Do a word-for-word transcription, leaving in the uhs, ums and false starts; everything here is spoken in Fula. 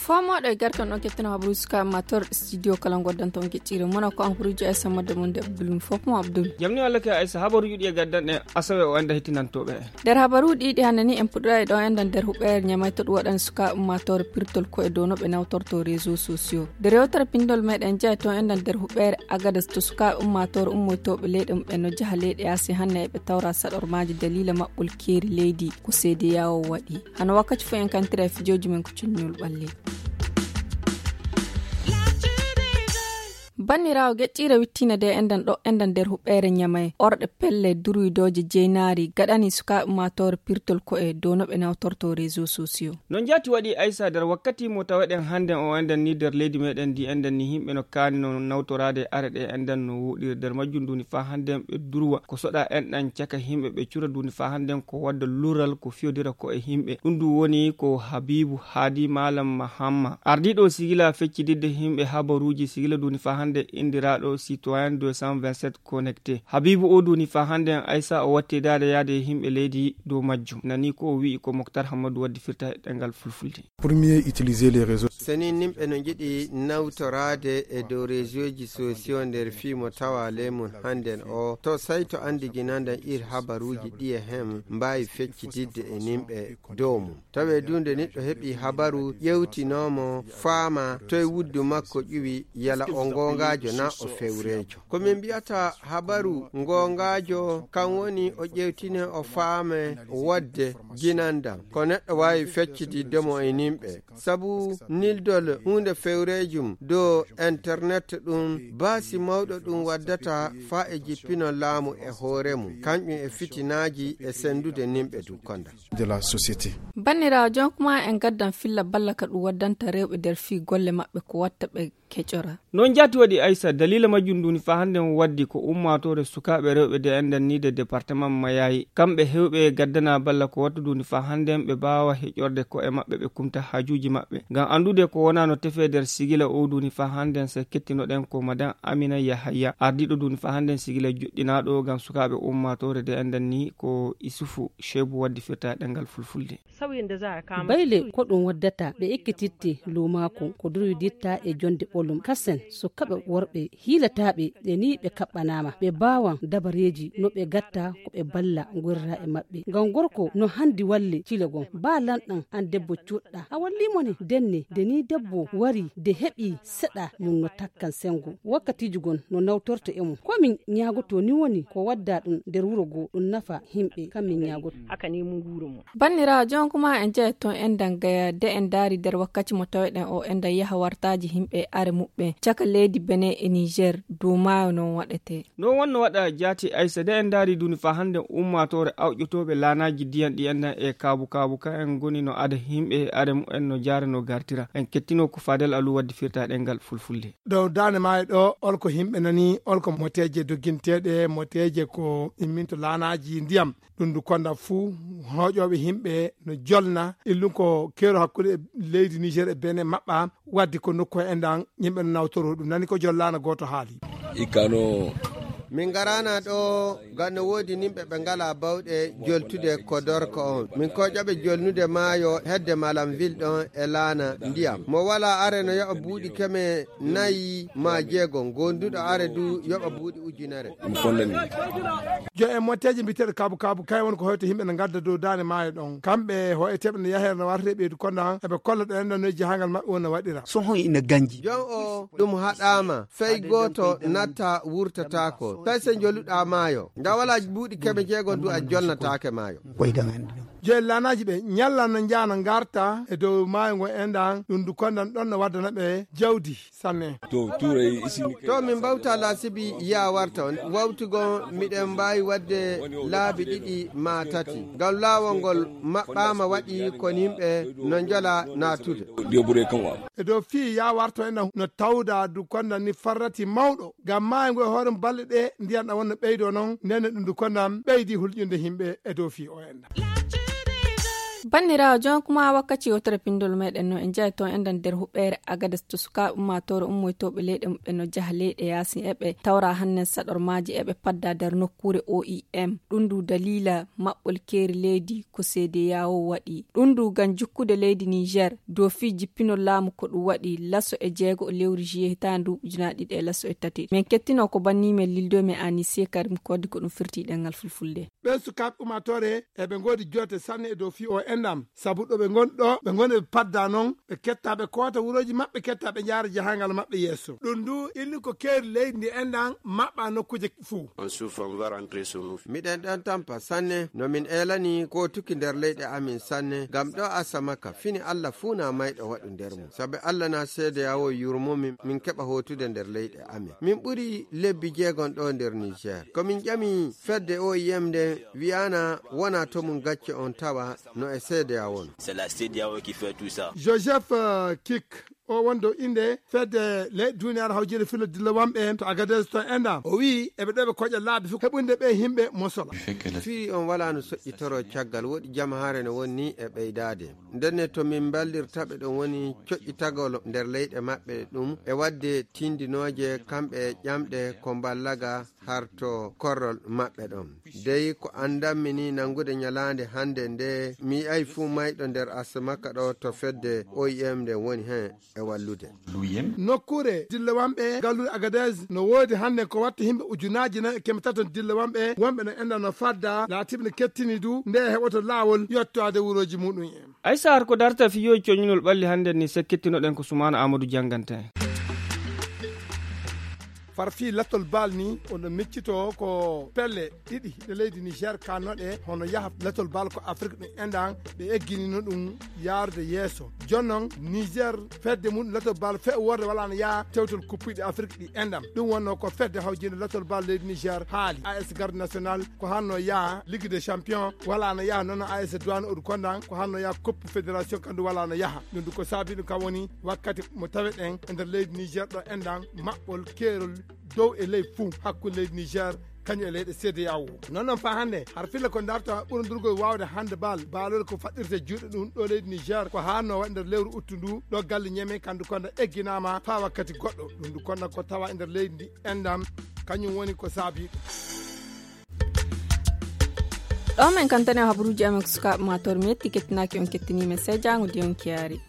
Faamoɗo e garkan ɗon kettino habaruuji suka mator studio kala ngoddanto on keccire mona ko an kurujo e sammadde mum de abdul mo fof mo abdul. Jamni walla ke aysa habaruuji ɗi e gaddan ɗen asawe o enda hittinantoɓe en. Nder habaruuji ɗi hannde ni en puɗɗoɗa e ɗo endan nder huɓɓere ñamay to ɗum waɗan suka ummatore pirtol ko e dow no ɓe nawtorto réseau sociaux. Nder yewtere pindol meɗen jeya to endan nder huɓɓere agadas to suka ummatore ummoytoɓe leyɗe mum ɓe no jaha leyɗe asi hannde eɓe tawra saɗormaji dalila maɓɓol keeri leydi ko seedi yawo waɗi. Hano wakkati fof en kantira e fijooji men ko cunnol ɓalli. Banniraawo geƴƴiire wittiina de enɗan ɗo enɗan nder huɓɓeere ñamay orɗe pelle durwidoje jeynaari gaɗani sukaaɓe ummaatoore pirtol ko'e dow no ɓe nawtorto réseau sociaux. No njaati waɗi aysa nder wakkati mo taweɗen hannden o enɗan ni nder leydi meɗen ndi enɗan ni yimɓe no kaani no nawtoraade are ɗe enɗan no woɗiri nder majjum nduni faa hannden ɓe durwa ko soɗa enɗan caka yimɓe ɓe cura nduni faa hannden ko wadda lural ko fiyodira ko e yimɓe ɗum ndu woni ko habibu haadi malam mahamma ardiiɗo sigila feccididde yimɓe habaruuji sigila nduni faa hannden indiraaɗo citoyen deux cent vingt-sept connecté. Habibu o nduni faa hannden aysa o watti daade yaade e yimɓe leydi dow majjum nani ko o wi'i ko moktar hammadu waddi firta e ɗengal fulfulde. Premier utiliser les réseaux. Seni nimɓe no njiɗi nawtoraade e dow réseauji sociaux nder fii mo tawa ley mum hannden o to sayto anndiginandan ir habaruuji ɗi e hem mbaawi feccitidde e nimɓe dow mum. Tawe du nde niɗɗo heɓi habaru ƴewtinoomo faama toy wuddu makko ƴuwi yala o ngoongaajo na o fewreejo. Ko min mbiyata habaru ngoongaajo kan woni o ƴewtine o faame wodde ginandam ko neɗɗo waawi feccitidde mo e nimɓe. Sabu nildol huunde fewreejum dow internet ɗum baasi mawɗo ɗum waddata faa e jippino laamu e hoore mum kañƴum e fitinaaji e senndude nimɓe dukkonda. De la société. Banniraawo jonkuma en gaddan filla balla ka ɗum waddanta rewɓe nder fii golle maɓɓe ko watta ɓe keƴora. Noon jaati waɗi aysa dalila majjum nduni faa hannden waddi ko ummaatoore sukaaɓe rewɓe de enɗan ni de département mayayi kamɓe hewɓe gaddana balla ko wattu nduni faa hannden ɓe mbaawa heƴorde ko e maɓɓe ɓe kumta haajuuji maɓɓe ngam anndude ko wonaa no tefee nder sigila o nduni faa hannden se kettinoɗen ko madan amina yahaya ardiiɗo nduni faa hannden sigila joɗɗinaaɗo ngam sukaaɓe ummaatoore de enɗan ni ko isufu sheebu waddi firta e ɗengal fulfulde. Bayle ko ɗum waddata ɓe ekkititte luumaaku ko durwiditta e jonde ɓolum kasen sukaɓe worɓe hiilataaɓe ɓe ni ɓe kaɓɓanaama ɓe mbaawan dabareeji no ɓe gatta ko ɓe balla ngorra e maɓɓe ngam gorko no handi walle cile gon ba lanɗan an debbo cuɗɗa a walli mo ne denne de ni debbo wari de heɓi seɗa mum no takkan sengo wakkatiiji gon no nawtorto e mum ko min ñaagoto ni woni ko wadda ɗum nder wuro goo ɗum nafa yimɓe kam min ñaagoto. Banniraawo jonkuma en jeya toon enɗan gaya de en ndaari nder wakkati mo taweɗen o enɗan yaha wartaaji yimɓe e are muɓɓen caka leydi bene e niger dow maayo noon waɗetee. Noon wonno waɗa jaati aysa de en ndaari nduni faa hannden ummaatoore awƴotooɓe laanaaji ndiyan ɗi enɗan e kaabu kaabu ka en ngoni no ada yimɓe e are mumen no jaara no gartira en kettino ko faadel alu waddi firta ɗengal fulfulde. Dow daande maayo ɗo olko yimɓe nani olko moteeje dogginteeɗe moteeje ko imminto laanaaji ndiyam ɗum ndu konda fuu hooƴooɓe yimɓe no jolna illum ko keero hakkunde e leydi niger e bene maɓɓa wadde ko nokku he enɗan yimɓe no nawtoro ɗum nani ko jollaana gooto haali. Ikkano. Min ngaraana ɗo ngam no woodi nimɓe ɓe ngalaa bawɗe joltude ko dorko on min koƴaɓe jolnude maayo hedde malam vil ɗon e laana ndiyam mo walaa are no yoɓa buuɗi keme nayi ma jeego ngonduɗo are du yoɓa buuɗi ujunere. Ɗum fondani. Jo en motteeji mbiteeɗo kaabu kaabu kay won ko hoyto yimɓe no ngadda dow daande maayo ɗon kamɓe hoyeteeɓe no yaheere no wartete ɓeydu konda han eɓe kolla ɗo enɗan noye jahangal maɓɓe won no waɗira. Sohon ina ganji. Jon o ɗum haɗaama fay gooto natta wurtataako fay so njoluɗaa maayo nga walaa buuɗi keme jeego ndu a jolnataake maayo. Waydan anndi ɗum. Joyi laanaaji ɓe ñalla no njaha no ngarta e dow maayo ngo enɗan ɗum ndu kondan ɗon no waddana ɓe jawdi sanne. To tuuray isini. To min mbawta laasibi yaa warta on wawtugo miɗen mbaawi waɗde laabi ɗiɗi maa tati ngam laawol ngol maɓɓaama waɗi kon yimɓe no njola naatude. E dow fii yaa warto enɗan no tawda du kondan ni farrati mawɗo ngam maayo ngo e hoore mum balɗe ɗe ndiyan ɗan wonno ɓeydo noon ndenne ɗum du kondan ɓeydi hulƴunde yimɓe e dow fii o enɗan. Banndiraawo, jon kuma wakkati yewtere pinndol meɗen no en njahi toon enɗan nder huɓeere Agades to sukaaɓe ummaatoore ummoytooɓe leyɗe muɓɓen no njaha leyɗe yaasin eɓe tawra hannen saɗormaaji eɓe padda nder nokkuure O I M. Ɗum ndu daliila maɓɓol keeri leydi ko C D A O waɗi. Ɗum ndu ngam jukkude leydi Niger dow fii jippinol laamu ko ɗum waɗi laso e jeego lewru juillet hitaande ujunaaji ɗiɗi e laso e tati. Min kettino ko banni men lildo men Anise Karim Kodi ko ɗum firti ɗemngal fulfulde. Ɓen sukaaɓe ummaatoore eɓe ngoodi joote sanne e dow fii o enɗam. Sabu ɗo ɓe ngoni ɗo, ɓe ngoni ɓe padda non, ɓe ketta ɓe koota wurooji maɓɓe, ketta ɓe njaara jahangal maɓɓe yeeso. Ɗum ndu inni ko keeri leydi ndi enɗam maɓɓa nokkuuje fuu. On souffre, on va rentrer sur nous. Miɗen ɗon tampa sanne, no min eelani kootuki nder leyɗe amin sanne, ngam ɗo Asamaka fini Allah fuu na mayɗo waɗu nder mum. Sabu Allah na seede yawo yurmomin, min keɓa hootude nder leyɗe amin. Min ɓuri lebbi jeegon ɗo nder Niger. Ko min ƴami fedde O I M nde wi'ana wona to mum gacce on tawa no e seede yawo no. C'est la C D A O qui fait tout ça. Joseph, euh, Kik, o wonɗo innde fedde leyɗe duniyaaru hawjinde fillo dillowamɓe to Agadez to enɗam. O wi'i eɓe ɗo ɓe koƴa laabi fof heɓunde ɓe yimɓe mosola. Fii on wala no soƴƴitoro caggal, woɗi jamahaare no woni e ɓeydaade. Ndenne to min mballirta ɓe ɗum woni coƴƴitagol nder leyɗe maɓɓe ɗum e waɗde tindinooje kamɓe e ƴamɗe ko mballaga harto korrol maɓɓe ɗon. Dey ko anndanmi ni nanngude ñalaande hannde nde mi yi'ay fuu mayɗo nder Asamaka ɗo to fedde O I M nde woni heen e wallude. Nokkuure dillowamɓe galluure Agadez no woodi hannde ko watta yimɓe ujunaaji nayi e keme tato dillowamɓe wonɓe no enɗam no fadda laatiiɓe no kettini du nde heɓoto laawol yottoade wurooji muɗum en. Ay sahar ko darta fiyooji coñinol ɓalli hannde ni sekkittinoɗen ko Sumaana Amadou jannganta en. Far fii latol baal ni, oɗo miccito ko pelle ɗiɗi ɗe leydi Niger kannoɗe, hono yaha latol baal ko Afrik ɗum enɗan, ɓe egginino ɗum yaarude yeeso. Jonnon Niger fedde mum latol baal fe worde wala no yaha tewtol kuppiɗe Afrik ɗi enɗan. Ɗum wonno ko fedde hawjinde latol baal leydi Niger haali. A S Garde National ko hanno yaha Ligue des Champions, wala no yaha noon A S Douane Odu Kondan, ko hanno yaha Coupe Fédération kandu wala no yaha. Ɗum du ko saabi ɗum kam woni wakkati mo taweɗen e nder leydi Niger ɗo enɗan maɓɓol keerol dow e ley fuu hakkunde leydi Niger kañum e leyɗe C D A O. Noon noon faa hannde har filla ko darta ɓurndurgol waawde hannde baal baalol ko faɗɗirte juuɗe ɗum ɗo leydi Niger ko haanno waɗi nder lewru uttu ndu ɗo galle ñeme kandu konda egginaama faa wakkati goɗɗo. Ɗum ndu konda ko tawa e nder leydi ndi enɗam kañum woni ko saabi. Ɗo men kantane habaruuji amen ko sukaaɓe ma tor mi yetti kettinaaki on kettiniimen sey jaango di on kiyaari.